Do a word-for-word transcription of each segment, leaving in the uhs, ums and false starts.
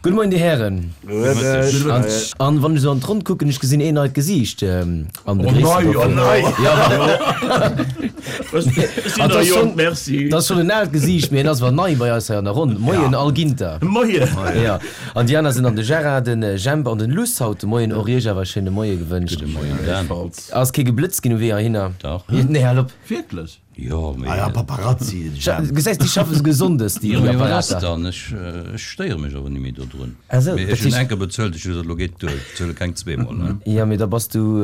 Gudde Moien, Dir Hären. An wann ech esou an d'Ronn kucken, ech gesinn een neit Gesiicht an begréissen Oh nei, oh nei. Dat ass schonn en aalt Gesiicht, mee en ass awer nei bei eis hei an der Ronn. Moien Al Ginter. Moien. Jo, an déi aner sinn dann de Gérard, den Jemp an den Luss haut de Moien. Och iech awer e schéine Moie gewënscht. Gudde Moien Dan. Ass kee geblëtzt ginn um Wee heihinner? Dach. Nee, hal op. Wierklech? Jo, mee. Ah ja, Paparazzi, den Jemp. Gesäis, déi schaffe souguer sonndes, déi Jo, mee wat ass Apparater. dann? Ech, ech stéiere mech awer ni méi dodrun. Ah sou, Mee dat ech hunn heescht. eng Kéier bezuelt, ech hu gesot, elo geet duer, ech bezuele keng zweemol, ne? Jo, mee da bass du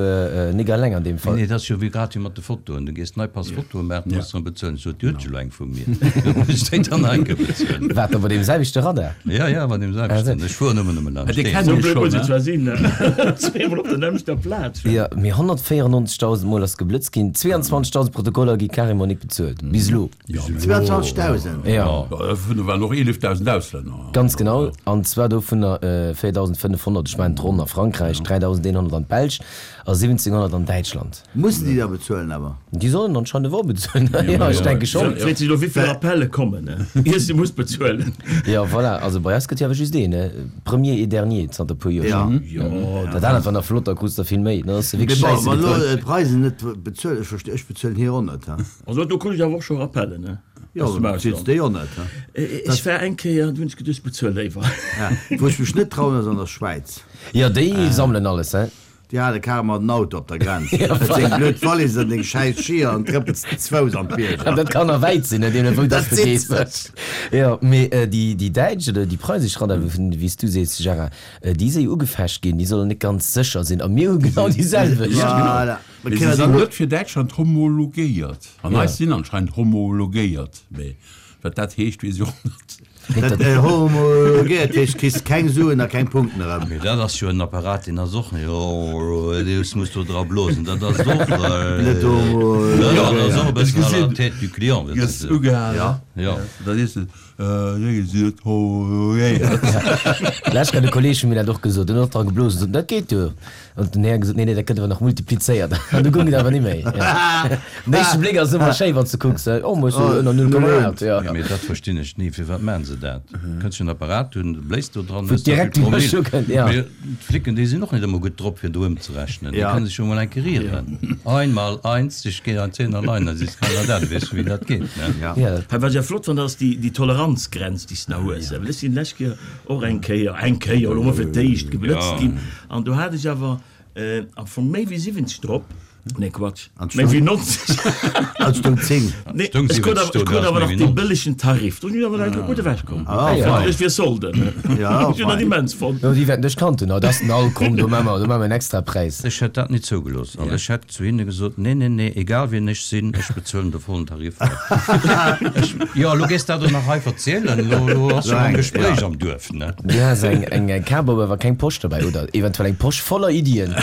nik alleng an deem Fall. Nee, dat ass jo wéi grad wéi mat de Fotoen. Du gees nei Pass Fotoe maachen, du muss erëm bezuelen. Ech sot, Dir hutt jo elo eng vu mir, do muss ech déi dann nach eng Kéier bezuelen. Wat, da bei deem selwechte Radar? Jo, jo, bei deem Ah sou. selwechten. Ech fueren ëmmer nëmme laanscht Dee deen. kennen Sou ech blöd schonn, muss ne? et zwar sinn, ne? Zweemol op der nämmlechter Plaz. Jo, mee honnertvéierennonzegdausend Mol ass geblëtzt ginn, zweiundzwanzegdausend Protokoller gi carrément nik bezuelt. Bis elo. Zweiundzwanzegdausend? Jo. Dovunner waren och eelefdausend Auslänner. Ganz genau. An zwar dovunner véierdausendfënnefhonnert, ech mengen d'Ronn a Frankräich, dräidausendeenhonnert an d'Belsch a siwwenzénghonnert an Däitschland. Mussen déi da bezuelen awer? Déi sollen anscheinend awer bezuelen. Jo, ech denke schonn. Freet sech elo wéivill Appelle kommen, ier se muss bezuelen. Jo, voilà. Also bei eis gëtt jo awer just een, ne? Premier et dernier zanter e puer Joer schonn. Jo. Dat anert war nach flott, da krus de vill méi. Dann ass de wierklech Mee bon, scheisse wann elo getuer. d'Preisen net bezuelen, ech versti, ech bezuelen hir och net, he. Also do krut ech awer och scho Rappellen, ne? Jo, Aus dem du bezuels Ausland. déi och net, he. Ech war eng Kéier, du hunn ech geduecht, ech bezuel léiwer. Ja, wou ech mech net trauen, ass an der Schwäiz. Jo, déi sammelen alles, he? Déi hale carrément den Auto op der Grenz. Huet seng blöd Wallis an deng schäiss Skier an trëppels ze Fouss an d'Bierger. An dat kann nach wäit sinn, ne, deemno wou dass Dat de gees. zitt sech. Jo, mee déi, déi däitsch oder déi preisesch Radar, wéi s du sees, Gérard, déi si jo ugefecht ginn, déi sollen net ganz sécher sinn. A mir hu genau déi selwecht. Voilà. Mee se sinn net fir Däitschland homologéiert. An eis sinn anscheinend homologéiert. Mee wat dat heescht, weess ech och net. Dat homologéiert heescht, kriss keng Suen a keng Punkten erëm. Mee dat ass jo en Apparat, deen ass och net, oh, muss do dra blosen, dat ass och net homologéiert. Jo, dat ass och e bëssen à la tête du client, wéi Gëss se. ugehalen. Jo. Da sees de, nee, si net homologéiert. Lech hat e Kolleeg vun mir dat och gesot, en huet och dra geblosen, sot, dat geet jo. An den Här gesot, nee, nee, dat gëtt awer nach multiplizéiert. An du goung et awer ni méi. Den éischte Bléck ass ëmmer schéi, wann s de kucks, oh, mol sou ënner null Komma aacht, jo. Mee dat verstinn ech ni, firwat maachen se dat? Kënns jo en Apparat hunn, du bléist do dran, Wou hues da direkt vill déi Promille. Mëschung kënnt, ja. Mee d'Flicken, déi sinn och net ëmmer gutt drop, fir do ëmzerechnen. Déi kënne sech jo mol eng Kéier ieren. Einmal eins, ich geh ein Zehner allein, da sees keiner dat, weess du, wéi dat geet, ne? Ja. Ja. Hei wat ech flott fannen, ass déi, déi Toleranzgrenz, déi s de nach hues. Well ech sinn d'lescht Kéier och eng Kéier, eng Kéier, elo mol fir d'éischt, geblëtzt ginn. An do hat ech awer am Fong méi wéi siwwenzeg drop. Nee, Quatsch, méi wéi nonzeg. An et stoung zéng. Nee, ech krut awer, ech krut awer nach dee bëllegen Tarif. Do sinn ech awer nach gutt ewechkomm. Ah, fein. Ech wier Solden. Ja, Ech hunn dat immens fonnt. Jo, déi wäerten dech kannt hunn. Oh, dat ass den Al, komm, do maache mer, do maache mer en Extrapräis. Ech hätt dat nit zougelooss. An ech hätt zu hinne gesot, Nee, nee, nee, egal wien ech sinn, ech bezuelen de vollen Tarif. Ech, jo, elo gees dat och nach hei verzielen, elo, elo ass schon en Gespréich am Duerf, ne? Du has eng, eng, eng Kap op, awer keng Posch dobäi, oder eventuell eng Posch voller Iddien.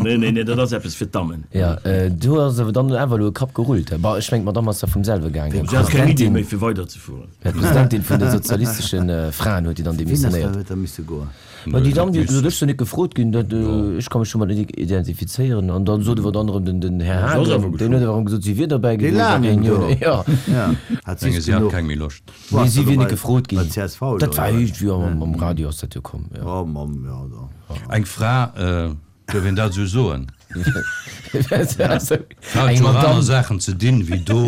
Nee, nee, nee, dat ass eppes fir d'Dammen. Jo, do ass awer dann awer elo e Kapp gerullt. Bon, ech mengen, d'Madame ass da vum selwe gaangen. Ech hat keng Iddi méi fir weiderzefueren. D'Presidentin vun de sozialistesche Fraen huet déi dann Wien ass da demissionéiert. huet da misse goen? Ma déi Damm, déi huet gesot, ech sinn net gefrot ginn, dat, ech ka mech domat net identifizéieren. An dann sot awer dann erëm den, den Här Haagen, deen huet awer erëm gesot, si wier derbäi Dee gewiescht. Laangen do. Jo. Ja, hat Menge si si hat genuch. keng méi Loscht. Nee, si wier net gefrot ginn. Bei csv elo, Dat war oder? iergendwéi am, am Radio ass dat jo komm, jo. Oh Mamm, jo da. Eng Fra, duerf een dat esou soen? Eng Hat jo aner Madame. Saachen ze dinn, wéi do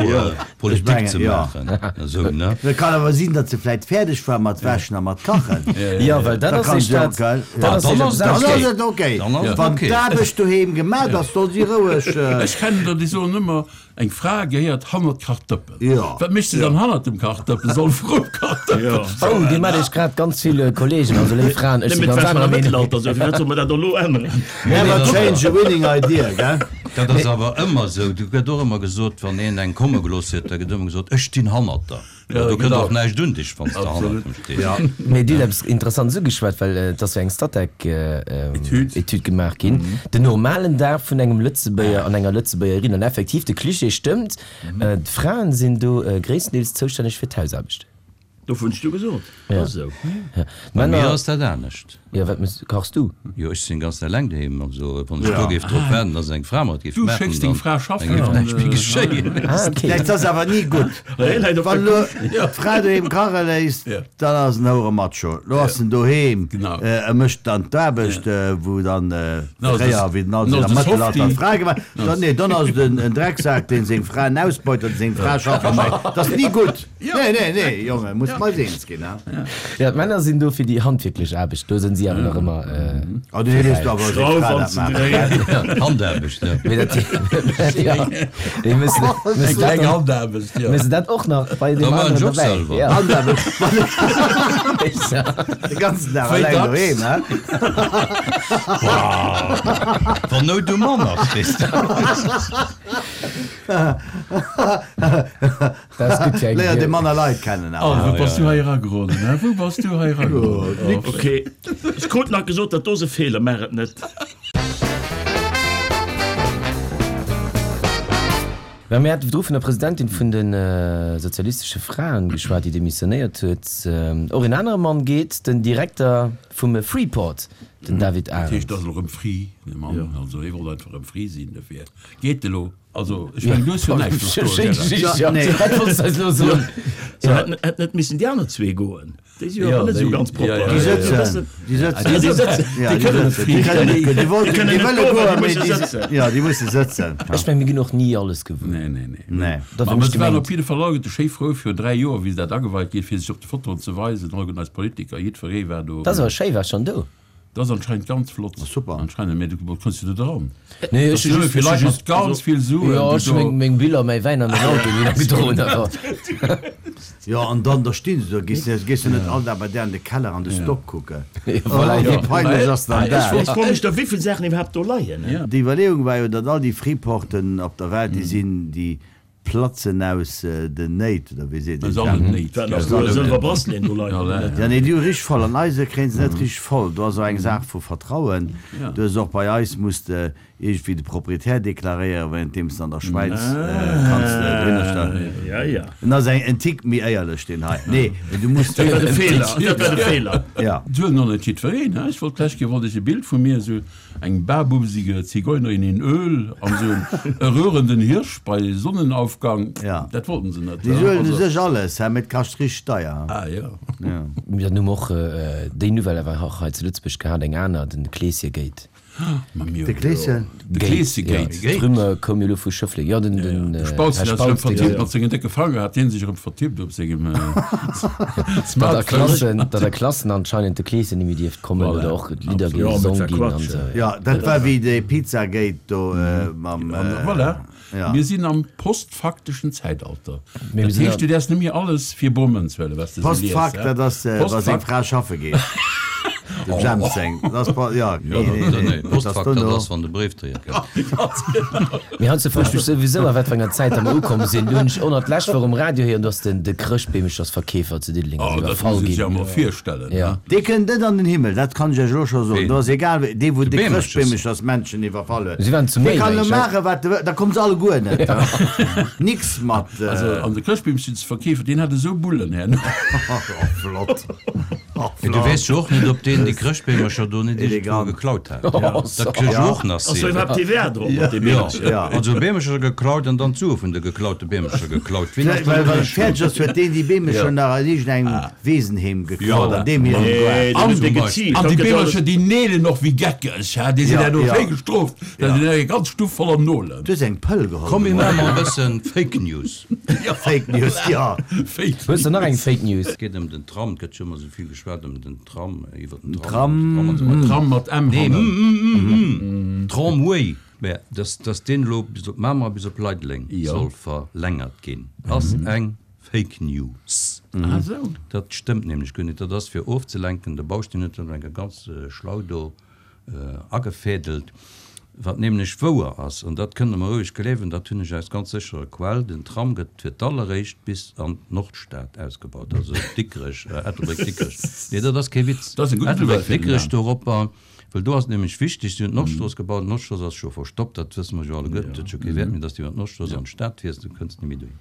Politik mengen, ze jo. maachen. Esou, ne? Et kann awer sinn, datt se vläit fäerdeg war mat wäschen a mat kachen. Jo, well dat Da ass kann ee se och, Staat. gell? Dat ass Dann ee ass et Dann ass okay. et okay. Dann ass et Wann okay. d'Aarbecht doheem gemat ass, soll si roueg. Ech kennen der, déi soen ëmmer, Eng Fra gehéiert hannert d'Kachdëppen. Jo. Wat mécht se dann hannert dem Kachdëppen? Soll vrum Kachdëppen stoen. Oh, dir maacht iech grad ganz vill Kollegen, also léif Fraen, ech si Nëmmen ganz d'Wäsch anerer am Meenung. Mëttelalter, sou firwat soll mer dat elo änneren? Never change a winning idea, gell? Dat ass awer ëmmer esou. Do gëtt och ëmmer gesot, wann een eng komme gelooss huet, da gëtt ëmmer gesot, Ech stinn hannert der. Jo, do kënnt och näischt un dech, wann s de hannert em stees. Mee Dir hutt eppes Interessantes ugeschwat, well et ass jo eng Statec-Etüd gemaach ginn, den normalen Dag vun engem Lëtzebuerger an enger Lëtzebuergerin. An effektiv, de Cliché stëmmt, d'Fraen sinn do gréisstendeels zoustänneg fir d'Hausaarbecht. Dofir hunn ech du gesot. Ja. Ass esou. Ja. Bei mir Männer, ass dat anescht. jo, wat muss, kachs du? Jo, ech sinn ganz eleng doheem, also wann ech do géif drop waarden, dass eng Fra mer et géif Du maachen, schécks deng dann Fra dann schaffen géif an, näischt méi äh, geschéien. Ah, okay. Dat ass awer ni gutt. Hie läit op Wann der elo Couche. d'Fra doheem kache léisst, Ja. dann ass en houre Macho. Lo ass en doheem, Genau. e mécht dann d'Aarbecht, wou dann Na, fréier, das- wéi den Alter na, am das Mëttelalter Softie. d'Fra gemaach. Dann, nee, dann ass et en en Drecksak, deen seng Fra ausbeut an seng Fra schaffe mécht. Dat ass ni gutt. Nee, nee, nee, Jonge, muss mei eens ginn, ha? Ja, d'Männer sinn do fir déi handwierklech Aarbecht, do sinn si awer nach ëmmer. Oh, du léisst du awer seng Schrauf Fra an dat ze maachen. dréien. Handaarbecht, ja. Mee dat, ja, déi müssen, müssen Eng dat kleng dann, Handaarbecht, ja. müssen dat och nach bei Da dem maachen anderen ech och dobäi. selwer. Ja. Handaarbecht, Ja. de ganzen Dag Wéi eleng dacks? doheem, ha? Wann Nout um Mann ass, weess de. Dat ass gutt fir eng Léiert ee manner Leit kennen Oh, awer. wou bass du hei erageroden, hä? Wou bass du hei erageroden? Oh, Okay. Ech krut nach gesot, dat do ass e Feeler, maach et net. Well mir hate virdru vun der Presidentin vun de sozialistesche Fraen geschwat, déi demissionéiert huet. Och en anere Mann geet, den Direkter vum Freeport, den David Dat heescht, Arendt. ass elo erëm free, de Mann. Also, hie wollt einfach erëm free sinn, dofir geet elo. Also, ech mengen, du hues jo näischt Schéin verstoen, Gerard. Geschicht, ja. Nee. Wat wollts du eis elo soen? Se hätten hätten net missen déi aner zwee goen. Déi si jo Ja, awer net esou déi- ganz ja, propper. ja, Déi ja, ja. sëtzen. Déi sëtzen. Déi sëtzen. Ja, Déi déi kënnen sëtzen. Déi kënnen net goen. Déi wollten, kënnen déi net wëlle goen, goen, déi mee musse déi sëtzen. Ja, déi musse sëtzen. Ech meng, mir ginn och ni alles gewuer. Nee, nee, nee. Nee. Dat Ma hunn ech se waren gemengt. op jidde Fall alleguerte schéi frou virun dräi Joer, wéi se dat ageweit ginn, fir sech op de Fotoen ze weisen. Alleguerten eis Politiker, jiddweree war do. Dat ass awer schéi, war schonn do. Dat ass anscheinend ganz flott. Super. Anscheinend, mee du kënns jo net eran. Nee, Dat ech ass nëmme fir Leit mat ganz vill Suen, Jo, déi ech hu do. meng, meng Biller, mäi Wäin an den Auto ni gedroen, awer. Jo, an dann, da stinn se do, gees du gees du net all Dag bei där an de Keller an de Stock kucken. Ja, voilà, Oh, wéi ja. peinlech ass dann Ech dat? Ech froe mech da, wéi vill Saachen iwwerhaapt do leien. Ja. Déi Iwwerleeung war jo, datt all déi Freeporten op der Welt, déi sinn, déi platzen aus den Néit, oder wéi seet een Aus allen dat? Néit. Wat Ja, nach aus do allen Sëlwer Néit. Bracelet do leien. Ja, ja. Ja, nee, déi hu richteg voll. An eise kréien se net richteg voll. Do ass och eng Saach vu Vertrauen. Ja. Du hues och bei eis muss de iergendwéi de Proprietär deklaréieren, währenddeems de an der Schwäiz kanns de dohinner stellen. Ja, ja. En ass eng en Tick méi éierlech, deen hei. Nee, mee du muss. Dat war de Feeler. Dat war de Feeler. Ja. Et huet nach net jiddwereen, he? Ech wollt d'lescht Kéier wollt ech e Bild vu mir, esou eng barbusige Zigeunerin in Öl an esou e röhrenden Hirsch bei Sonnenaufgang. Ja. Dat wollten se net, Déi he? suelen u Also, sech alles, he, mee et kascht richteg deier. ah ja. Ja. Mir hunn och déi Nouvelle awer och hei zu Lëtzebuerg gehat, eng aner, den Kleeschegate. Ma mir De Kleeschen? De Kleeschegate. Ja, d'Rumeur koum jo elo vu Schëffleng. Jo, den, den, De Här Spautz, deen ass erëm Spautz, dee vertippt mat sengen décke Fanger, hat deen sech erëm vertippt op sengem Datt a Smartphone. Klassen, datt a Klassen anscheinend de Kleeschen ni méi dierft kommen Voilà. oder och Lidder Ja, gesong mit ginn an Quatsch, esou. Ja, dat war wéi de Pizzagate do mam. Voilà. Ja. Mir sinn am postfakteschen Zäitalter. Mee mir Dat sinn heescht, du däerfs net méi alles fir Bommen huelen, wat s de sou liest, Postfakt, hä? dat ass, wa seng Postfakt. Fra schaffe geet. Dem Jemp seng. Dat ass, ja, nee, nee, nee. Nee, Dat ass Postfakt, dat dono. ass, wann de Bréifdréier kënnt. Mee heiansdo froe ech mech souwisou, a wat fir enger Zäit datt mer ukomm sinn. Do hunn ech och nach d'lescht Woch um Radio héieren, datt den, de Chrëschtbeemechersverkeefer zu Diddeleng Oh, ass dat iwwerfall muss een sech ginn. ja mol virstellen, Ja. ne? Dee kënnt net an den Himmel, dat kann ech Iech elo scho soen. Ween? Do ass egal, wéi, dee wou De de Beemeschers. Chrëschtbeemechersmännchen iwwerfall huet. Si waren zu Dee méi kann elo wéi ech, hä? maachen, wat e wëll, da kommen se alleguer net. Nix mat. Also, an de Chrëschtbeemchensverkeefer, deen hat esou Bullen herno. Oh, flott. Oh, Mee du flott. weess jo och net, ob deen déi Chrëschtbeemercher do net iergendwou Elegant. geklaut hat. Oh, Dat kënnt jo och nach Ass do sinn. iwwerhaapt T V A drop mat deem Ja, Beemercher? Ja. also Beemercher geklaut an dann d'Sue vun de geklaute Beemercher geklaut. Wien ass Well, well dann et elo fäerdeg ass, huet deen déi Beemercher nach an iergendengem Wesenheem geklaut, Ja. an deem hirem Nee, Goart. den huet zum e Beispill. geziicht. An Dat déi gëtt Beemercher, alles. déi neelen och wéi Geckeg, hä? Déi sinn Ja, herno ja. schéi gestrooft. Dat sinn eng ganz Stuff voller Nolen. Du hues eng Pëll geholl. Komm, mir maache mol e bëssen Fake News. Fake News, ja. Fake Hues du nach eng Fake News? Et geet ëm den Tram, et gëtt jo ëmmer esou vill geschwat ëm den Tram, iwwer den Tram. Tram, Tram an esou weider. Tram mat M Nee, hannen. mm, mm, mm, Tramway. Mä dass, dass deen elo bis op Mamer, bis op Leideleng Ja. soll verlängert ginn, ass eng Fake News. Ah, sou. Dat stëmmt nämlech guer net. Dat ass fir ofzelenken. De Bausteen huet dat eng ganz schlau do agefädelt. Wat nämlech wouer ass, an dat kënnt Der mer roueg gleewen, dat hunn ech aus ganz sécherer Quell, den Tram gëtt fir d'alleréischt bis an d'Nordstad ausgebaut, also Dikrech, Ettelbréck-Dikrech. Nee, dat ass kee Witz. Dat ass eng gutt Nouvelle fir den Ettelbréck-Dikrech Dan. doropper, well do ass et nämlech wichteg, si hunn d'Nordstrooss gebaut, d'Nordstrooss ass scho verstoppt, dat wësse mer jo alleguerten, et huet scho kee Wäert méi, dass du iwwer d'Nordstrooss an d'Stad fiers, du kënns ni méi dohin.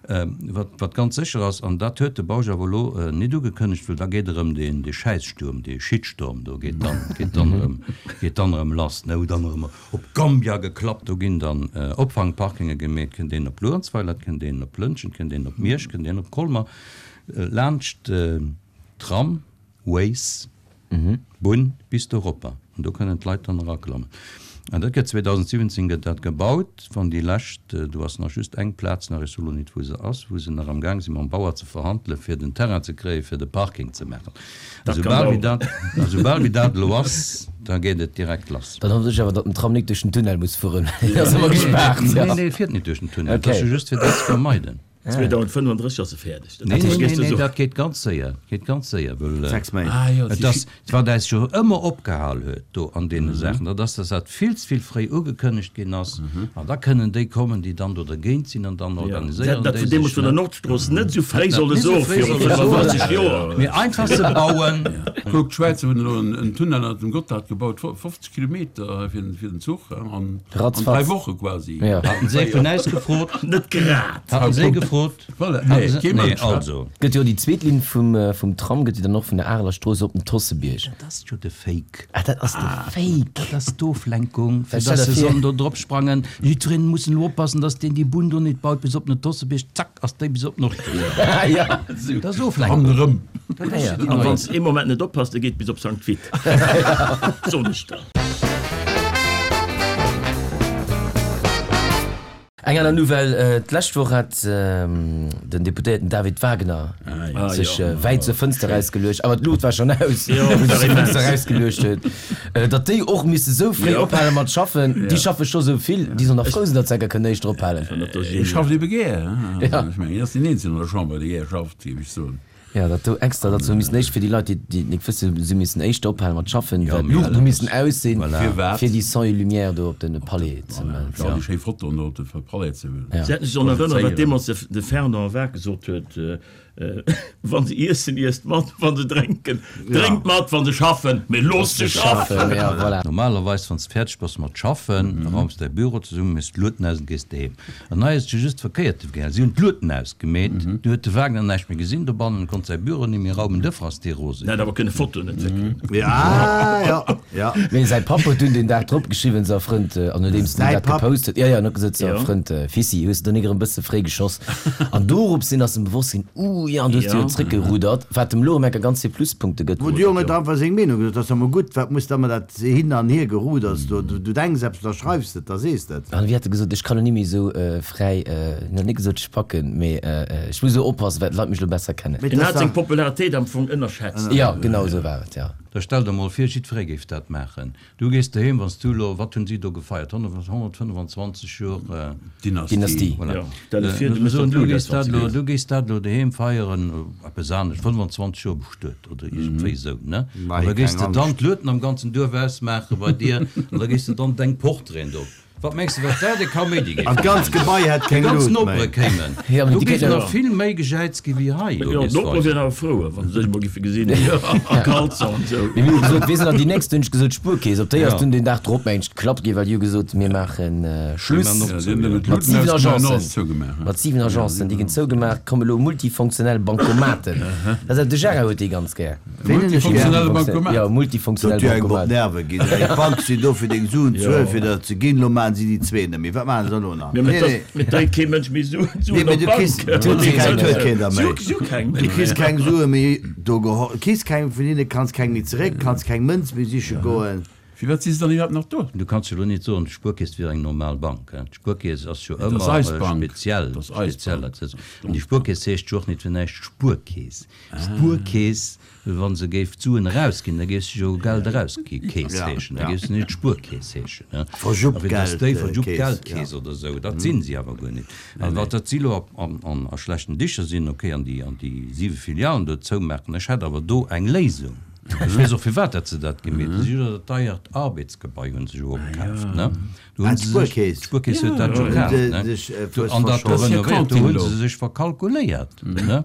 Wat, wat ganz sécher ass, an dat huet de Bausch awer elo net ugekënnegt, well da geet erëm deen, dee Schäissstuerm, dee Shitstorm do geet dann, geet dann erëm, geet dann erëm lass, ne, wou dann erëm op Gambia geklappt, do ginn dann Opfangparkinge gemeet, kënnt een op Luerenzweiler, kënnt een op Lëntgen, kënnt een op Miersch, kënnt een op Colmer, laanscht d'Tram Ways, Bunn bis doropper, an do kënnen d'Leit dann eraklammen. An dat gëtt zweedausendsiwwenzéng gëtt dat gebaut, wann déi lescht, do ass nach just eng Plaz nach, ech soe lo nit wou se ass, wou se nach am Gaang si mam Bauer ze verhandelen, fir den Terrain ze kréien, fir de Parking ze maachen. A soubal wéi dat, a soubal wéi dat elo ass, da geet et direkt lass. Dann hoffen ech awer, datt den Tram nik duerch den Tunnel muss fueren, deen ass ëmmer gespaart. Nee, nee, e fiert net duerch den Tunnel, et ass jo just fir dat ze vermeiden. zweedausendfënnefandrësseg ass e fäerdeg. Nee, nee, nee, nee, dat geet ganz séier, geet ganz séier, well Sechs Méint. et ass, wat äis jo ëmmer opgehal huet do an deene Saachen, dat ass, dass dat vill ze vill fréi ugekënnegt ginn ass, an da kënnen déi kommen, déi dann do dergéint sinn, an dann Se hätten organiséieren dat déi vun deemools sech, vun der ne. Nordstrooss net esou fréi Hätten dat solle net esou soen, fréi viru solle soen. fënnefandrësseg Joer. Mee einfach se bauen. Kuck, d'Schwäizer hunn elo en Tunnel ënnert dem Gotthard gebaut, fofzeg Kilometer fir den Zuch, an dräi Ratzfatz. Woche quasi. Ja. Haten se vun äis gefrot? Net grad. Haten se gefrot? Voilà, nee, Haten se, kee nee, Mënsch, wa? also. Gëtt jo déi zweet Linn vum, vum Tram gëtt jo dann och vun der Areler Strooss op den Tossebierg. Dat ass jo de Fake. Ah, dat ass de Fake. Dat ass d'Oflenkung, fir Well stell dass der se vir. sollen do drop sprangen. Jiddwereen muss elo oppassen, dass deen déi Bunn do net baut bis op den Tossebierg, zack, ass déi bis op d'Nordstrooss. Ja. Dat ass Oflenkung. An erëm. Dat ass jo déi An nei. wann s de ee Moment net oppasst, e geet bis op Sankt Vith. Soen ech der. Eng aner Nouvelle, D'lescht Woch hat den Deputéierten David Wagner sech wäit zur Fënster erausgeluecht, awer d'Luucht war schonn aus, wou e sech zur Fënster erausgeluecht huet, datt déi och misse sou fréi ophale mat schaffen. Déi schaffe scho sou vill, déi sollen nach frou sinn, datt se enker kënnen éischter ophalen. Hie schafft ebe gär. Ech mengen, hien ass deen Eenzegen an der Chamber, dee gär schafft, géif ech soen. Jo, dat do extra, datt se hu missen éischt, fir déi Leit, déi déi et nik wëssen, si hu missen éischter ophale mat schaffen, well d'Luuchten hu missen aus sinn, fir déi Son et Lumière do op de Palais ze Voilà, fir all déi schéi Fotoen do op de Palais ze Se hätten sech sollen erënneren, wat deemools de Fernand Waack gesot huet, Wa se iessen, iesst mat, wa se drénken, drénkt mat, wa se schaffen, mee loosst se schaffen! Jo, voilà. Normalerweis, wann s de fäerdeg bass mat schaffen, raums däi Büro zesummen, méchs d'Luuten aus an gees doheem. An hei ass et jo just verkéiert gaangen. Si hunn d'Luuten ausgemeet, du huet de Wagner näischt méi gesinn dobannen, konnt säi Büro ni méi raumen, duerfir ass dee rose En hätt ginn. awer kënne Fotoen entwéckelen. Ja, ja, ja. Mee säi Papp huet dunn den Dag drop geschriwwen, Sa Frënd, an nodeems en Säi dat Papp. gepost huet, jo, jo, en huet gesot, Sa Jo. Frënd, Fissi, hues de do nik erëm bësse fréi geschoss? An dorops hin ass em bewosst ginn, Uh, jo, an du hues de jo zréckgerudert, wat dem lo erëm enker ganz vill Pluspunkte gëtt. Wou de Jong huet einfach seng Meenung gesot, dat ass emol gutt, wat muss da ëmmer dat hin an hier Geruders do, du denks eppes, da schreifs de et, da sees de et. An wéi hat e gesot, ech kann lo ni méi esou fräi, en huet net gesot ech packen, mee ech muss elo oppassen, well d'Leit mech lo besser kennen. Mee En dat hat ass seng dach. Popularitéit am Fong ënnerschätzt. Jo, genau esou war et, jo. Da stell der mol vir, jiddweree géif dat maachen. Du gees doheem, wann s du elo, wat hunn si do gefeiert, honnert-fënnefenzwanzeg Joer Dynastie. Dynastie. Voilà. Jo, stell der vir, du Mir méchs soen, dat du Blut gees aus, wann dat s du elo, gees. du gees dat elo doheem feieren, eppes anescht, fënnefenzwanzeg Joer bestuet oder iergendwéi esou, ne? Mei, An da gees keng de dann Angscht. d'Lueten am ganzen Duerf ausmaache bei dir an da gees de dann deng Portraiten do. Wat mengs de, wat dat e Kaméidi géif An d'ganz maachen? Gebai hätt Déi keng ganz Lut Nopere méi. kéimen. Ja, mee Do déi géif kéinten nach vill méi gejäizt gi wéi hei, Jo, d'Nopere wieren awer frou, wa se sech emol géife gesinn, a Kalzer an esou. Mee mir hu gesot, wee sinn dann déi nächst? Hunn ech gesot, d'Spuerkeess. Op déi ass Ja. dunn den Dag drop, mengen ech, geklappt ginn, well déi hu gesot, mir maache Schluss. Mir maachen Ja, si hunn nëmmen Mat d'Luuten siwen ausgemaach an Agencen. alles zougemaach. Mat siwen Agencen, déi ginn zougemaach, komme lo multifunktionell Bankomaten. Dat ass, de Gérard huet déi ganz gär. Ween hunn ech gär? Multifunktionelle Bankomat. Jo, Dat multifunktionell huet jo engem op Bankomat. d'Nerve ginn. Ey, D'Bank sinn do fir deng Suen ze huelen, fir der ze ginn. Lo maachen si déi zwee net méi. Wat maachen se elo nach? Mee Nee, nee. et dréit kee Mënsch méi Suen Nee, mee op du kriss, d'Bank. du huet keng, huet keen der méi. Si hu keng Du méi. kriss keng Sue méi do geholl, kriss keng vun hinne, kanns keng méi zeréck, kanns keng Mënz méi siche goen. Firwat si se dann iwwerhaapt nach do? Du kanns jo elo net soen, d'Spuerkeess wier eng normal Bank. D'Spuerkeess ass jo Dat ass ëmmer eis Bank. speziell. Dat ass eis Speziell. Bank. An déi Spuerkeess heescht jo och net fir näischt Spuerkeess. Spuerkeess, wa se géif d'Suen erausginn, da géif se jo Geld erausgi Keess Ja, heeschen. Da ja. géif se net Spuerkeess heeschen. A fir dass déi Verjuppgeldkeess, Verjuppgeldkeess oder esou, dat sinn si awer guer net. An wat dat si elo an, an, a schlechten Dicher sinn, okay, an déi, an déi siwe Filialen do zoumaachen, ech hätt awer do eng Léisung. Ech weess och firwat dat se dat gemeet hunn. Si hunn jo dat deiert Arbeetsgebai hunn se jo opkaaft, ne? Do Ah, hunn se sech, d'Spuerkeess. d'Spuerkeess huet dat jo Hunn kaaft, se ne? sech, äh, Do, an dat do verschoss. renovéiert, do Kantin hunn do. se sech verkalkuléiert, ne?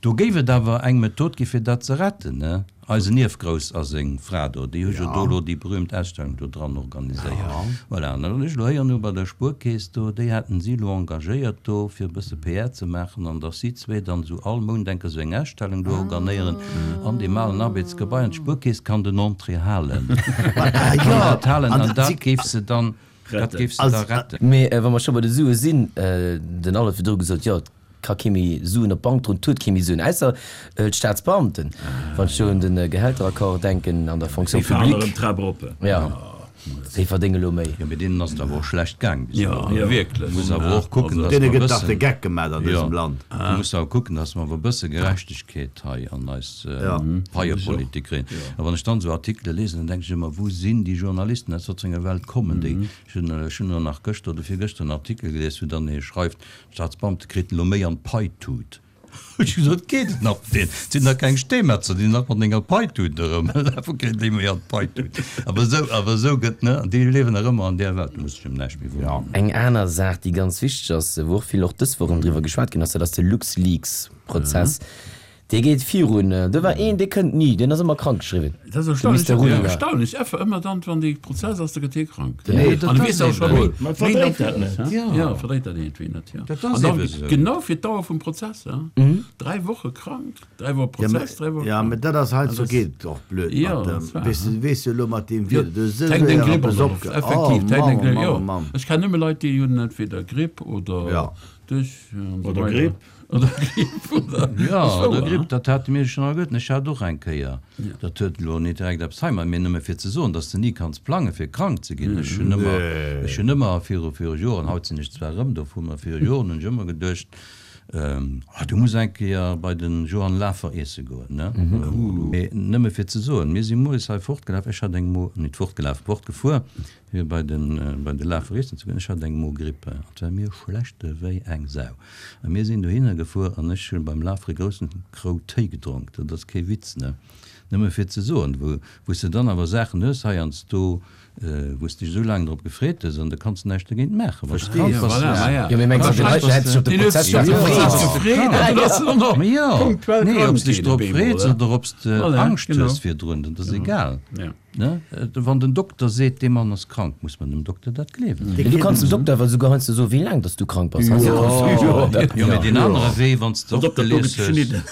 Do géif et awer eng Method gi fir dat ze retten, ne? Eisen Ierfgrouss a seng Fra do, déi hu jo do elo déi berühmt Ausstellung do dran organiséiert. Voilà, an dann hunn ech elo héieren, elo bei der Spuerkeess do, déi haten si elo engagéiert do, fir e bësse P R ze maachen, an datt si zwee dann esou all Mount eng Kéier esou eng Ausstellung do organéieren an deem alen Arbeetsgebai. An d'Spuerkeess kann den Entrée halen, kann dat halen, an dat géif se dann, dat géif se da retten. Mee wa mer scho bei de Sue sinn, den Albert huet virdru gesot, jo, et ka kee méi Suen op d'Bank droen, et huet kee méi Suen, ausser d'Staatsbeamten, wann ech do un de Gehälteraccord denken an der Fonction Déi fahren erëm publique. d'Trap erop. Jo, déi verdénge lo méi. Jo, mee deenen ass et awer och schlecht gaang bis Jo, elo. jo, wierklech. Muss awer och kucken, dass Deene mer e gëtt dach de bëssen, Geck gemat an jo, dësem Land. du muss awer kucken, dass mer awer e bësse Gerechtegkeet hei an eis Paiepolitik kréien. A wann ech dann esou Artikele lesen, dann denke ech ëmmer, Wou sinn déi Journalisten, aus wat fir enger Welt kommen déi? Ech hunn, ech hunn elo nach gëschter oder virgëschter en Artikel gelies, wou dann ee schreift, D'Staatsbeamte kriten elo méi an d'Paitut. Hu ech gesot, Geet et nach mat deenen? Et sinn nach keng Steemetzer, déi nach mat enger Paitut erëmlafen. Wou kréien déi méi an d'Paitut? Awer esou, awer esou gëtt, ne? An déi liewen nach ëmmer an där Welt, do muss ech ëm näischt méi wonneren. Eng aner Saach, déi ganz wichteg ass, wou och vill och dës Woch erëm driwwer geschwat ginn ass, dat ass de LuxLeaks-Prozess. Dee geet virun. Do war een, dee kënnt ni, deen ass ëmmer krank geschriwwen. Dat ass De erstaunlech, Mister Rüdiger. erstaunlech. Effer ëmmer dann, wann dee Prozess ass, da gëtt hie krank. Nee, dat An du ass weess och scho eben. mol, Ma méi verdréit nach dat net. Ja, Ja. verdréit dat iergendwéi net, ja. Dat An ass dann eben esou. genau fir d'Dauer vum Prozess, ja. Dräi Woche krank, dräi Woche Ja, mä, Prozess, dräi Woche ja, krank. mä dat ass heiansdo Also geet et och blöd Ja, mat dem, dat war, weess du, weess du elo mat deem Jo, Wieder, du hues esou d'hänkt eng séier Gripp eppes an der opge, Loft, effektiv, oh d'hänkt eng Mann, Gripp, jo. Mann, Mann. Ech kennen nëmme Leit, déi hunn entweder Gripp oder Ja. Duerch an esou Oder weider. Gripp. Oder Gripp, oder. Ja, Ass oder wouer, Gripp, hein? dat hate mir schon alleguerten. Ech hat och eng Kéier. Dat huet elo net direkt eppes heimat, mee nëmme fir ze soen, dass de ni kanns plange fir krank ze ginn. Ech hunn ëmmer, ech hunn ëmmer viru, viru Joren, haut sinn ech zwar erëm dovun, mä viru Joren hunn ech ëmmer geduecht, ähm, ah, du muss eng Kéier bei den Johann Lafer iesse goen, ne? Mee nëmme fir ze soen, mir si moies hei fortgelaf, ech hat eng Mo, net fortgelaf, fortgefuer, fir bei den, bei de Lafer iessen ze goen, ech hat eng Mogrippe an et war mir schlecht ewéi eng Sau. A mir sinn dohinner gefuer an ech hunn beim Lafer e groussen Krou Téi gedronk, dat ass kee Witz, ne? Nëmme fir ze soen, wou, wou s de dann awer Saachen hues heiansdo, wou s dech esou laang drop gefreet hues an da kanns de näischt dogéint maachen, wann s de krank Ja, bass. voilà, ma ja. Jo, mee mengs du, de Leit hätt sech op de Deen huet Prozess sech op de Prozess gefreet an dann ass en och nach Mee jo, punktuell nee, krank ob s dech ginn drop op eemol, freets hè? oder ob s de Voilà, Angscht genau. hues virdrun, dat ass egal. Ja. Ne? Wann den Dokter seet, dee Mann ass krank, muss man dem Dokter dat gleewen. Mee du kanns dem Dokter awer souguer heiansdo soen, wéi laang dass du krank bass. Jo, jo, mee deen anere Wee, wann s de Pass och op, dat do gelies gëtt hues, geschnidden.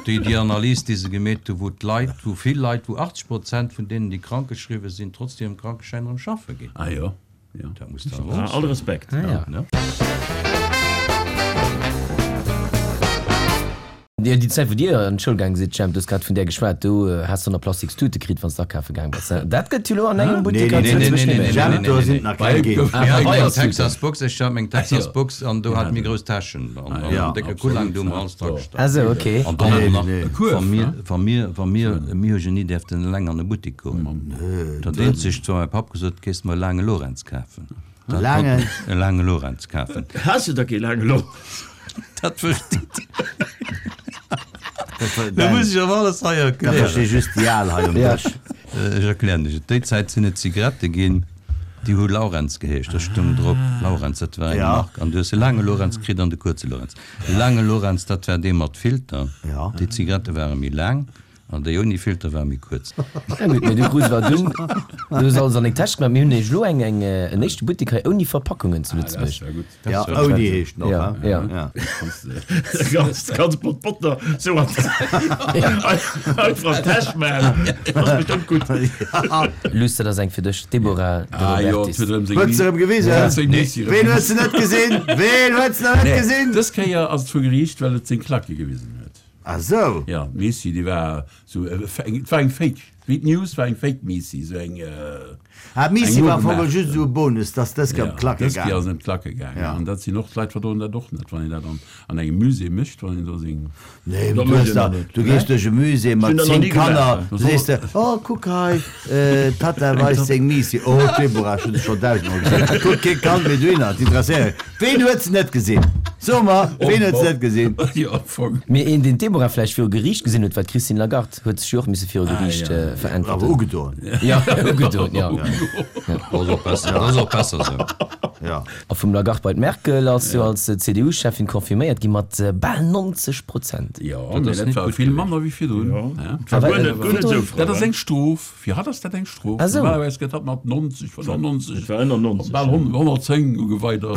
déi, déi Analys, déi se gemeet hu, wou d'Leit, wou vill Leit, wou achtzeg Prozent vun deenen, déi krankgeschriwwe sinn, trotz hirem Krankeschäin erëm schaffe ginn. Ah jo, jo. Dat muss der awer Ah, och all soen. Respekt. Ah ja. Ne? Déi Zäit, wou Dir an d'Schoul gaang sidd, Jemp, du hues grad vun där geschwat, do has de nach plastiks Tute kritt, wann s de akafe gaang bass. Dat gëtt jo elo an engem Buttek hei zu Lëtzebuerg net méi. Jemp, do sinn et nach keng ginn. Ah, Mir haten eng Feierstuten. Texas Box, ech hat meng Texas Box an do hate mir grouss Täschen an en décke Kullang, do hu mer alles dra gestach. Ah sou, okay. An dann och nach, Kuerf, wa mir, wa mir, wa mir, mir hu jo ni däerften eleng an e Buttek goen. Dat eenzegt, war mäi Papp gesot, Gees mer e laange Lorenz kafen. Dat Laangen? konnt, e laange Lorenz kafen. Has du da kee laange Lorenz? Dat versteet. Da muss ech awer alles hei Dat erklären. versti just déi Al hei um Dësch. Ech erklären dech et. Déi Zäit sinn et Zigarette ginn, déi hu Laurenz geheescht. Da stoung drop Laurenz, dat war eng Ja. Mark. An du hues de laange Lorenz kritt an de kuerze Lorenz. De laange Lorenz, dat war dee mat Filter. Ja. Déi Zigarette ware méi laang an déi ouni Filter war méi kuerz. Ja gutt, mee du krus wat dunn, du hues alles an deng Täsch gemaach. Mir hunn nämlech elo eng, eng, en éischte Buttek hei ouni Verpackungen zu Lëtzebuerg. Ja, ouni heescht noch, Ja, he? ja. Ja. Ganz, ganz Pott Potter so an einfach an d'Täsch maachen. Dat ass bestëmmt gutt. Luss, dat ass eng fir dech, d'Deborah De Ah jo, Robertis. et huet erëm seng Huet se erëm gewisen? Ja, seng Nissi erëm Ween huet se net gesinn? Ween huet se nach net gesinn? Dës Kéier ass et vu Geriicht, well et seng Klacke gewisen huet. Ah sou. Ja, d'Missy, déi war sou, et war eng Fake, wéi d'News war eng Fake Missy, sou eng. Ah, d'Missy eng war am Fong nogemaach. just sou e Bonus, dass dës Kéier Ja, ëm d'Klacke dës Kéier gaang. ass et ëm d'Klacke gaang. Ja. An dat sinn och, d'Leit verdroen dat och net, wann een dat an, an engem Musée mécht, wann een do seng. Nee, Dat du mécht hues een da, dat net. du gees duerch e Musée mat Hun dat nach zéng ni gemaach. Kanner, du sees de, oh, kuck hei, d'Tatta weist seng Missy, oh, d'Deborah, ech hunn se schonn dausendmol gesinn, kuck kee Kand méi dohinner, d'interesséiert. Ween huet se net gesinn? So mer, ween huet se net gesinn? Jo, am Fong. Mee een, deen d'Deborah vläicht viru Geriicht gesinn huet, war d'Christine Lagarde. Huet sech jo och misse viru Ah, Geriicht ja. Awer veräntwerten. ugedoen. Ja, ugedoen, ja. Dat ass och besser, dat ass och besser esou. Ja. A vum Lagarde bei d'Merkel ass jo als CDU-Cheffin confirméiert gi mat bal neunzeg Prozent. Jo, Dat mee ass dat net war gutt vill gewiescht. manner wéi virdrun. Jo. Ja. Dat war guer net, guer net esou frou. Dat ass eng Strof. Fir hatt ass dat eng Strof. Ah sou. Normalerweis gëtt hatt mat neunzeg, fënnefennonzeg, Et war ënner neunzeg. bal honnertzéng ugeweider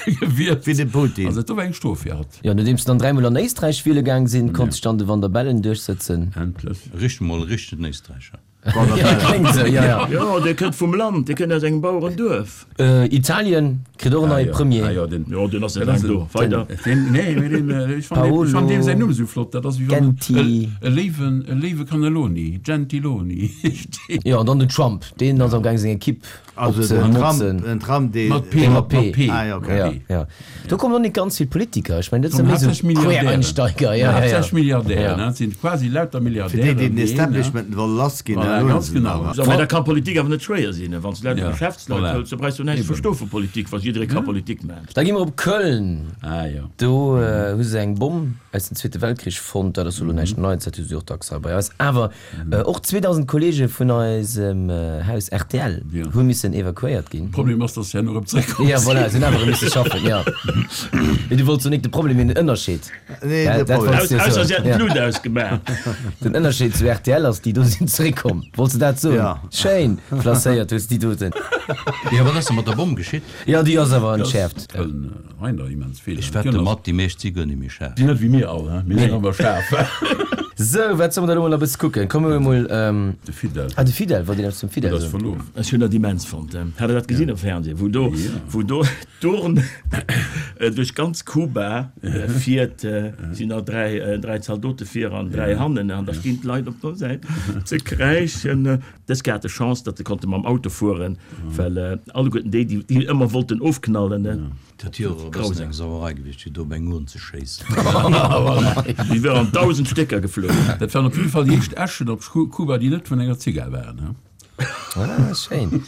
gewielt. Wéi de Putin. Also dat do war eng Strof fir hatt. Jo, nodeems se dann dräimol an Éisträich wiele gaang sinn, konnt sech dann de Van der Bellen duerchsëtzen. Endlech. Richt mol e richtegen Éisträicher. Ja, kléngt esou, jo, jo. Jo, dee kënnt vum Land, dee kënnt aus engem Bauerenduerf. Italien kritt och en neie Premier. Ah jo, den, Jo, deen ass net laang do. Weider. Den, nee, mee den, ech fannen deen, ech fannen deem säin Numm esou flott. Dat ass wéi wann Genti. e Léiwen, e Léiwe Cannelloni, Gentiloni heescht deen. Jo, an dann den Trump, deen ass am gaang seng Ekipp Also den Trump, opzemotzen. den Trump, dee. Mat P, Mat mat P. P. Ah, ja, okay. Ja, ja. Do kommen och net ganz vill Politiker. Ech mengen, dat sinn Kommen méi esou haaptsächlech Milliardären. Quereinsteiger. Ja, ja, ja. Haaptsächlech Milliardären, Ja. ne? Dat sinn quasi lauter Fir déi, Milliardären, déi den déi een, ne? Establishment wëlle lass ginn, Voilà, dann huelen ganz se en genau. awer. So, mä da kann Politik awer net schwéier sinn, wann s de lauter Ja, Geschäftsleit voilà. hëls, da brauchs du näischt Eben. verstoe vu Politik, wa jidderee ka Politik maachen. Da gi mer op Köln. Ah, jo. Do hu se eng Bomm aus dem Zweete Weltkrich fonnt. Dat ass elo näischt Neits, dat hu se och dacks hei bei eis. Awer och zweedausend Kolleege vun eisem Haus rtl hu missen evakuéiert ginn. Problem ass, dass se herno erëm zréckkomm Ja, sinn. voilà, se hunn awer erëm misse schaffen, jo. Mee du wollts jo nik de Problem, mee den Ënnerscheed. Nee, Dat de dat Problem. wollts du jo Ausser soen. si hätten Ja. d'Lut ausgemaach. Den Ënnerscheed zu rtl ass, déi do sinn zréckkomm. Wollts du dat soen? Ja. Schéin placéiert hues déi doten. Jo, wat ass da mat der Bomm geschitt? Jo, déi ass awer entschäerft. Köln, Reiner immens vill. Ech wette mat, déi meescht si guer net méi schaarf. Déi net wéi mir all, he? Mir sinn awer schaarf. Sou, wat solle mer da elo mol nach e bësse kucken? Komme mer emol. De Fidel. Ah, de Fidel, wollt Dir eppes zum Fidel Dat ass soen? verlof. Ech hunn dat immens fonnt. Hat Der dat gesinn am Fernseh, wou do, wou do d'Urn duerch ganz Kuba fiert, sinn nach dräi, dräi Zaldote vir an dräi hannen, an da stinn d'Leit op der Säit ze kräischen. Dës Kéier hat e Chance, datt e konnte mam Auto fueren, well alleguerten déi, déi, déi ëmmer wollten ofknallen. Dat wier och e bëssen eng Sauerei gewiescht, fir do op eng Urn ze schéissen. Déi wier an dausend Stécker geflogen. Dat waren op jidde Fall déi éischt Äschen op Kuba, déi net vun enger Zigar waren. Ah, schéin.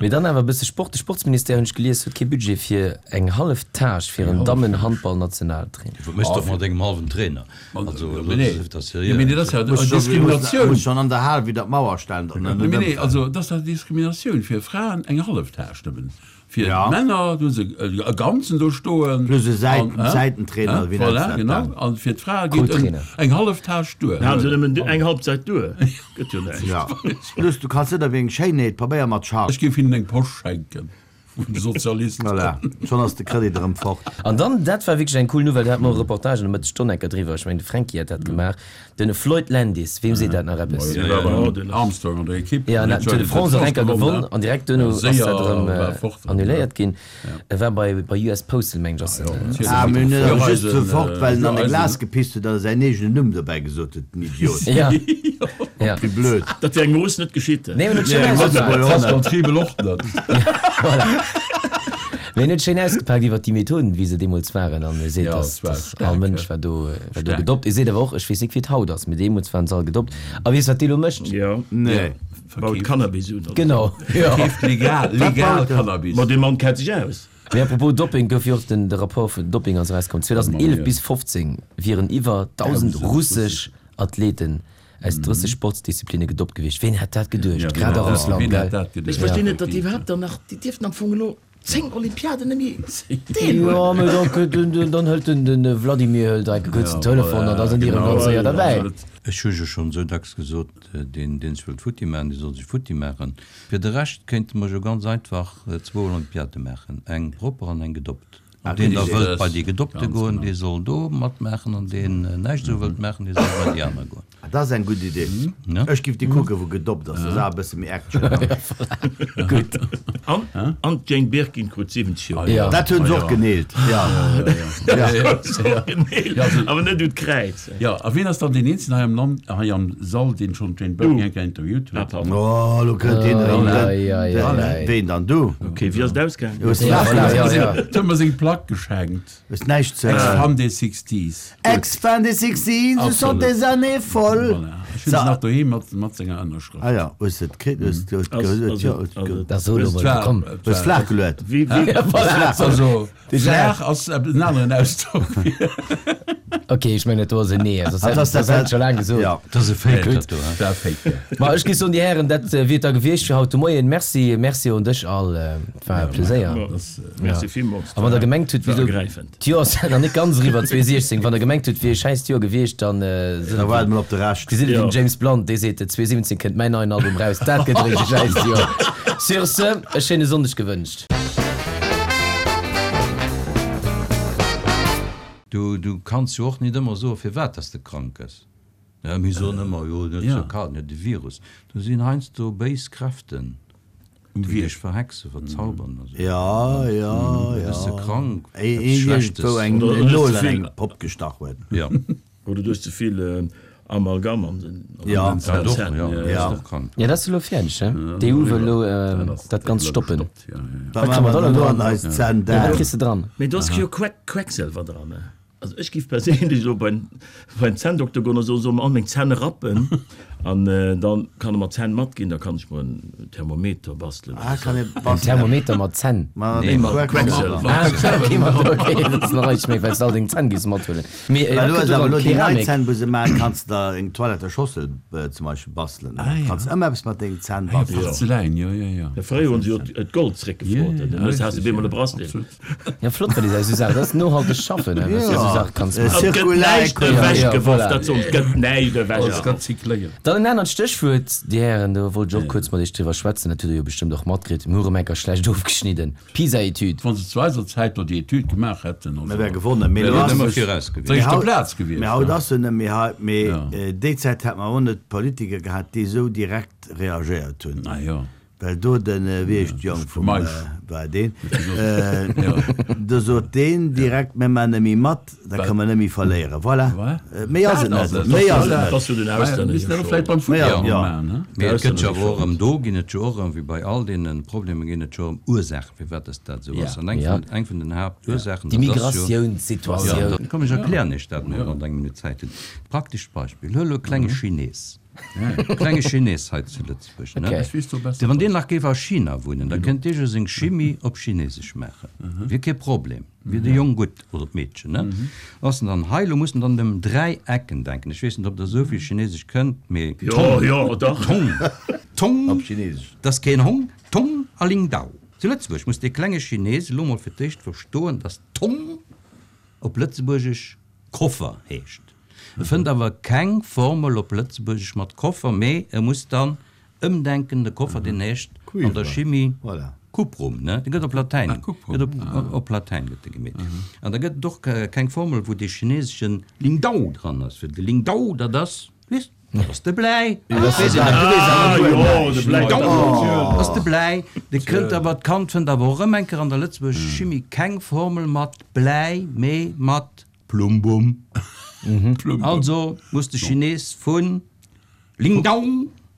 Mee dann awer e bësse Sport. De Sportsministère, hunn ech gelies, huet kee Budget fir eng hallef Tâche fir en Dammen-Handball-Nationaltrainer. Wat méchs de och mat engem hallwen Trainer? Also, elo dat ass seriö. Mee dat ass ja Muss schon, Diskriminatioun. muss schon an der Hal wieder d'Mauer stellen, datt en net Nee, nee, ëmfält. also dat ass Diskriminatioun fir Fraen eng hallef Tâche nëmmen. Fir Ja. d'Männer, do hu se e ganzen do stoen. Plus e Säiten, An, hä? Säitentrainer, Hä? wéi nenns Voilà, dat genau. dann? An fir d'Frae geet en, Co-Trainer. eng hallef Tâche duer. Da halen se nëmmen eng Halbzeit duer. Gëtt jo näischt. Ja. Plus, du kanns net op eng Schéinheet Pabeier mat Charme. Ech géif hinnen eng Posch schenken, vun de Sozialisten. Voilà, schonn ass de Kredit erëm fort. An dann, dat war wierklech eng cool Nouvelle, do hate mer och e Reportage an der Mëttesstonn enker driwwer, ech mengen de Fränki hat dat gemaach, den Floyd Landis, weem seet dat nach eppes? Dee war beim Armstrong an der Ekipp. Ja, en hat d'Tour de France och enker gewonn an direkt duerno ass Séier dat erëm war fort. annuléiert ginn. E war bei bei U S Postal, mengen ech, ass en. Ah, mee en ass just Eisen, sou fort, well en an e Eisen. Glas gepisst huet, datt e säin eegenen Numm dobäi gesot huet, den Idiot. Ja, ja. Wéi blöd. Dat wär engem Russ net geschitt. Nee, en huet schéin Nee, ausgepakt. Pascal Triebel och net. Voilà. Mee en huet schéin ausgepakt iwwer déi Methoden, wéi se deemools waren, an e seet, Ja, dass, es war dass staark, all Mënsch ja. war do, war do Staark. gedoppt. E seet awer och, ech weess net, wéi et haut ass, mee deemools waren se all gedoppt. A weess, wat dee lo mécht? Ja. Nee. Baut Cannabis un. Genau, jo. Verkeeft legal, legal Cannabis. Ma dee Mann kennt sech aus. Mee apropos Dopping, gouf jo och den, de Rapport vun Dopping ass erauskomm. zweedausendeelef bis fofzéng wieren iwwer dausend russesch Athleten aus drësseg Sportsdisziplinne gedoppt gewiescht. Ween hätt dat geduecht? Grad a Russland, Ween gell? hätt dat geduecht? Ech verstinn net, datt déi iwwerhaapt dann nach, déi dierften am Fong elo zéng Olympiaden net méi deelhuelen. Jo, mee dann kënnt den, den, dann hëlt den, den Vladimir hëlt enke kuerz den Telefon an da sinn déi erëm ganz séier derbäi. Ech hu jo schonn esou dacks gesot, deen, deen sech wëllt futti maachen, dee soll sech futti maachen. Fir de Rescht kéinte mer jo ganz einfach zwou Olympiade maachen, eng propper an eng gedoppt. An deen da wëllt bei déi gedoppte goen, dee soll do matmaachen, an deen näischt esou wëllt maachen, dee soll bei déi aner goen. Dat ass eng gutt Idee. Ne? Ech giff déi kucken, wou gedoppt ass. Dat ass awer e bësse méi Action. Gutt. An, an d'Jane Birkin krut siwwenzeg Joer. Ja. Dat hunn se och geneelt. Ja. Och geneelt, awer net un d'Kräiz. Ja, a wien ass dann deen eenzegen hei am Land, hei am Sall, deen schonn d'Jane Birkin eng Kéier interviewt huet? Ah, pardon. Oh, lo kënnt deen erëm. Ei, ei, ei, ei. Ween dann? Du? Ok, wéi ass et ausgaangen? Hues Ja, näischt voilà, ze ja, ja. Huet mer seng Plack geschenkt. Hues näischt ze. Ex-Fan des Sixties. Ex-Fan des Sixties, ce sont Absolut. des années folles. Voilà. Ech hunn se nach doheem mat, mat senger Ënnerschrëft. Ah ja, hues de et kritt? Hues de et Also, gehuet? also, Jo, hues also, ge- Dat soll Et war- komm. et Hues war- flaach geluet? Wéi, wéi, Also, flaach ass en aneren Ausdrock. Ok, ech mengen, dat do ass en Nee. Soss Ah, hätt das- soss hätt ech scho laang gesot. Ja. Dat ass e Fake, dat do, hä? Dat war fake, ja. Ma ech gi soen, déi Hären, dat wier et da gewiescht fir haut de Moien. Merci, merci un dech all. Et war e Pleséier. Merci villmools. A wann der gemengt hutt, War wieso ergräifend. d'Joer ass nach net ganz eriwwer, zweitausendsiechzehn, wann der gemengt hutt, wier e schäiss Joer gewiescht, dann äh, Da waarde mer op de Rescht. Gesitt et Ja. den James Blunt, dee seet, zweitausendsiwwenzehn kënnt mäin neien Album raus, dat gëtt e richteg schäiss Joer. Sur ce, e schéine Sonndeg gewënscht. Du, du kanns jo och net ëmmer soen, firwat dass de krank gëss. Ja, mir soen ëmmer, jo, net Ja. sou kal, net de Virus. Do sinn heiansdo béis Kräften, Um déi Wierk. dech verhexen, verzaubern. Also. Ja, ja, ja. Bist du krank? Ee- Eppes ee Schlechtes. Wou eng Oder hues Nol du an vill- eng Popp gestach huet. Ja, Oder du hues ze vill äh, Amalgam an den, an Ja. den dat och, Zänn. ja, Ja, ja. Ja. Ist och krank. Ja, dat ass elo fäerdeg, ne? D'E U wëll elo äh, dat Ganzt stoppen. Gestoppt, ja, ja, ja. Da Wat machen kann man wir da dann noch an dran? eis Zänn Ja, wat down. kriss de dran? Mee do ass jo Queck, Quecksilwer dran, ne? Also ech giff perséinlech elo beim, beim Zänndokter goen a soen, soll mer all meng Zänn rappen an äh, dann kann e mer Zänn matginn, da kann ech mer en Thermometer bastelen. Ah, kann ee En bastelen. Thermometer mat Zänn? Ma Nee, mat Quecksilwer. Quecksilwer. Ah, okay, mat, okay, dat ass nach eréischt méi, well s de all deng Zänn giffs mathuelen. Mee, äh, Well du wat hues gëtt awer do elo dran? déi nei Keramik? Zänn, wou se maachen, kanns de der eng Toiletteschossel äh, zum Beispill bastelen. Ah, ja. Kanns ëmmer eppes mat dengen Zänn Ah, ja, bastelen. Porzelläin, ja, ja, ja. Ja, fréier hunn se jo d'Gold zréckgefrot, Ja, ja, dann hues richtig, du bemol ja, e Bracelet. absolut. Ja, flott, well déi esou Saachen, dat ass nohalteg schaffen, ne, was du esou Saache kanns Äh, maachen. Et gëtt Zirkulär näischt Ekonomie. Ja, ja, ewechgeworf, voilà. dat soll, et gëtt näischt Alles ewechgeworf. rezykléiert. Dann en anert Stéchwuert, Dir Hären, do wollt ech och kuerz mat Iech driwwer schwätzen, dat hutt Der jo bestëmmt och matkritt, mir hu rëm eng Kéier schlecht ofgeschnidden, D'PISA-Etüd. Wann se zu eiser Zäit do déi Etüd gemaach hätten, also, Mir wär gewonnen. Mee Wär lo net ass ëmmer es- viraus gewiescht. Op der éischter haut- Plaz gewiescht, Mee haut ja. ass se net méi hei. Mee Ja. äh, déi Zäit hat mer och net Politiker gehat, déi esou direkt reagéiert hunn. Ah, ja. Well do den äh, wie heescht Jong vum Meisch. äh, war deen äh, do sot deen direkt mir man net méi mat, da kann man net méi verléieren. Voilà. Wat? Äh, méi ass et Dat ass net. et. Méi ass et Voilà. net. Ass jo den Ja, Auslänner misst jo dat vläicht beim Ja, Futtball ja. maachen, ne? Mee et gëtt jo Ausländer awer och erëm do ginn et jo och erëm, wéi bei all deenen Problemer ginn et jo erëm Ursaachen, firwat dass dat esou ass. Ja. An eng Ja. vun, eng vun den Haaptursaachen, Déi dat ass jo- Migratiounssituatioun. Ja, da komm, ech erklären iech dat mol, wann Der eng Minutt Zäit hutt. Praktescht Beispill, huel elo e klenge Chines. E klenge Chines hei zu Lëtzebuerg, ne? Okay. Das weess du besser. Wann deen nach géif a China wunnen, da kënnt dee jo seng Chimie op Chinesesch maachen. Wier kee Problem. Wier de Jong gutt oder d'Meedchen, ne? Ass en dann hei, lo muss en dann ëm dräi Ecken denken. Ech weess net, ob der esou vill Chinesesch kënnt, mee Jo, Tong, jo, dach. Tong, Tong, Op Chinesesch. dat ass keen Hong, Tong a Lingdao. Zu Lëtzebuerg muss dee klenge Chines elo mol fir d'éischt verstoen, dass Tong op Lëtzebuergesch Koffer heescht. E fënnt awer keng Formel op Lëtzebuergesch mat Koffer, mee e muss dann ëmdenken, de Koffer, deen heescht an der Cuivre. Chimie Voilà. Cuprum, ne? Dee gëtt op Latäin, Ah, Cuprum. gëtt op, op Latäin gëtt de gemeet. An da gëtt et och keng Formel, wou dee chineseschen Lingdao dran ass, fir de Lingdao, dat ass, weess, dat ass de Bläi. Dat ass de Ah, jo, de Bläi. Lingdao, dat ass de Bläi. De kënnt awer, d'Kand fënnt awer och erëm eng Kéier an der lëtzebuergescher Chimie keng Formel mat Bläi, mee mat Plumbum. Plumbum. Also muss de Chines vun Lingdao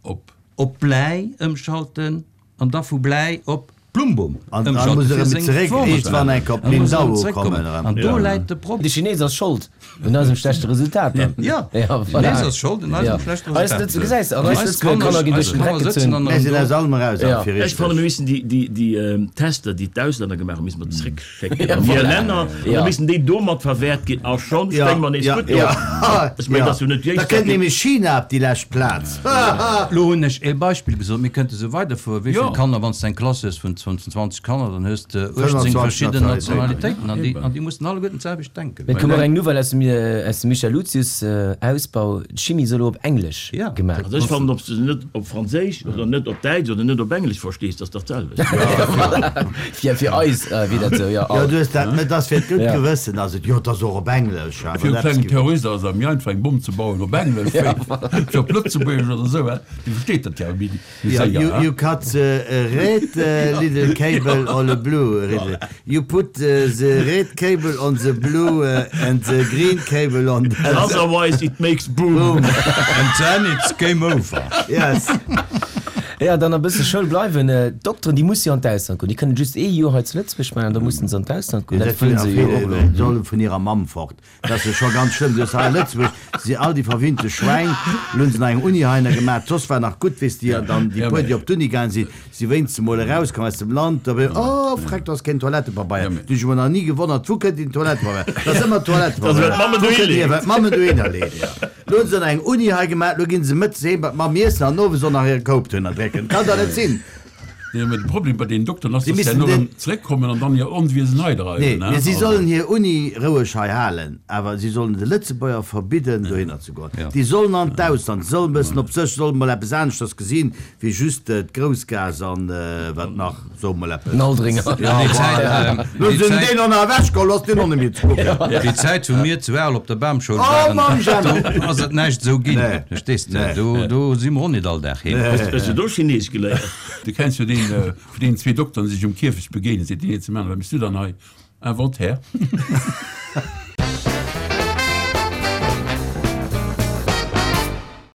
Op. op Bläi ëmschalten an da vu Bläi op Plumbum An dann ëmschalten muss er fir erëm seng zeréck, Formel eescht ze wann maachen. enk op An muss er Lingdao erëm zeréckkommen. kommen erëm. An do Ja. läit de Problem. De Chines ass schold un eisem schlechte Resultat dann. Ja, Ja, de voilà. Chines ass schold un eisem Ja. schlechte Eis Resultat. Lëtze-, gesäis, an eis Eis Lëtzebuerger Kanner Kanner ginn duerch den eis Dreck Kanner sëtzen gezunn. an Mir sinn do. aus allem eraus, Ja. fir Ech fanne, richtig. mir missten déi, déi, déi ähm, Tester, déi d'Auslänner gemaach hunn, misste mer zréckschécken Ja, an hir voilà. Länner. An Ja. da missten déi domat verwäert ginn. A schonn stéing mer nees ja, gutt do. ja. Ech mengen, Ja. dass du net Da jéiss, kënnt nämlech China op déi lescht Plaz. Lo hunn ech e Beispill gesot, mir kënnte sou weiderfueren. Wéi Ja. vill Kanner, wann s de eng Klass hues vun zwanzeg Kanner, dann hues de achtzehn fënnfundzwanzeg verschidden Nationalitéiten. Nationalitéiten an déi, an déi mussen alleguerten d'selwecht denken. Mir kommen och eng Nouvelle aus dem, äh, aus dem Michel Lucius, äh, Ausbau. D'Chimie soll elo op Englesch Ja. gemaach Also ech fannen, ob s du se net op Franséisch oder net op Däitsch oder net op Englesch verstees, dat ass dach d'selwecht. Fir, fir eis, äh, wier dat sou, ja. Ja, du hues dat, mä dat ass fir d'gutt Ja. Gewëssen, ass et, jo, dat ass och op Englesch, awer Fir e dat klengen gi- Terrorist ass et méi einfach eng Bomm ze bauen op Englesch, wéi fir op Lëtzebuergesch oder sou, hè. Déi versteet dat ja méi, méi Ja, séier, you, hè. you cut the uh, red uh, little cable or the blue little. You put uh, the red cable on the blue uh, and the green cable on the Otherwise it makes boom. boom. And then it's game over. Yes. Ja, dann e bësse Schoul bleiwen. D'Dokteren, déi musse jo an d'Ausland goen. Déi kënnen just ee Joer hei zu Lëtzebuerg maachen an da mussen se an d'Ausland goen. Dat wëllen se jo och elo. Solle vun hirer Mamm fort. Dat ass jo scho ganz schlëmm. Du hues hei a Lëtzebuerg si all déi verwinnte Schwäin. Elo hunn se nach eng Uni heihinner gemaach. Soss war nach gutt, weess de, dann déi puer, déi op d'Uni gaangen sinn, si wéinst emol erauskomm aus dem Land. Da oh, freck, do ass keen Toilettepabeier. Du hunn ech mer nach ni gewonnert, wou kënnt deen Toilettepabeier? Dat ass ëmmer Toilettepabeier. Wou kënnt deen hier? Well d'Mammen dohinner leeën. Lo hunn se nach eng Uni hei gemaach, lo ginn se mëttes heem bei d'Mamm iessen an owes och nach hire Koup dohinner drécken. Kann dach net sinn! Nee, mä de Problem bei deenen Dokteren ass, Si dass se missten herno den. erëm zeréckkommen an dann hir Onwiesen hei Nee, dreiwen, mee ne? si Also. sollen hir Uni roueg hei halen, awer si sollen de Lëtzebuerger verbidden, dohinner ze goen. Déi sollen an d'Ausland, se sollen e bëssen op sech, sollen mol eppes aneschters gesinn, wéi just d'Groussgaass an wat nach. So mol eppes. Den Aldringer. Ja, Déi Zäit, voilà. Lo déi sinn Zäit, deen och nach ewechgeholl, ass deen och net méi ze kucken. déi Zäit, wou mir zu Arel op der Bamschoul Oh, waren, Mamm Gemma! do ass et näischt esou ginn. Nee. Verstees de? Nee. Do, do si mer och net all Dag heem. Hues du do Chineesch geléiert? Du kenns jo deen, vun deenen zwee Dokteren, déi sech um Kierfecht begéinen, seet deen een zum aneren, Wat méchs du dann hei? Inventaire.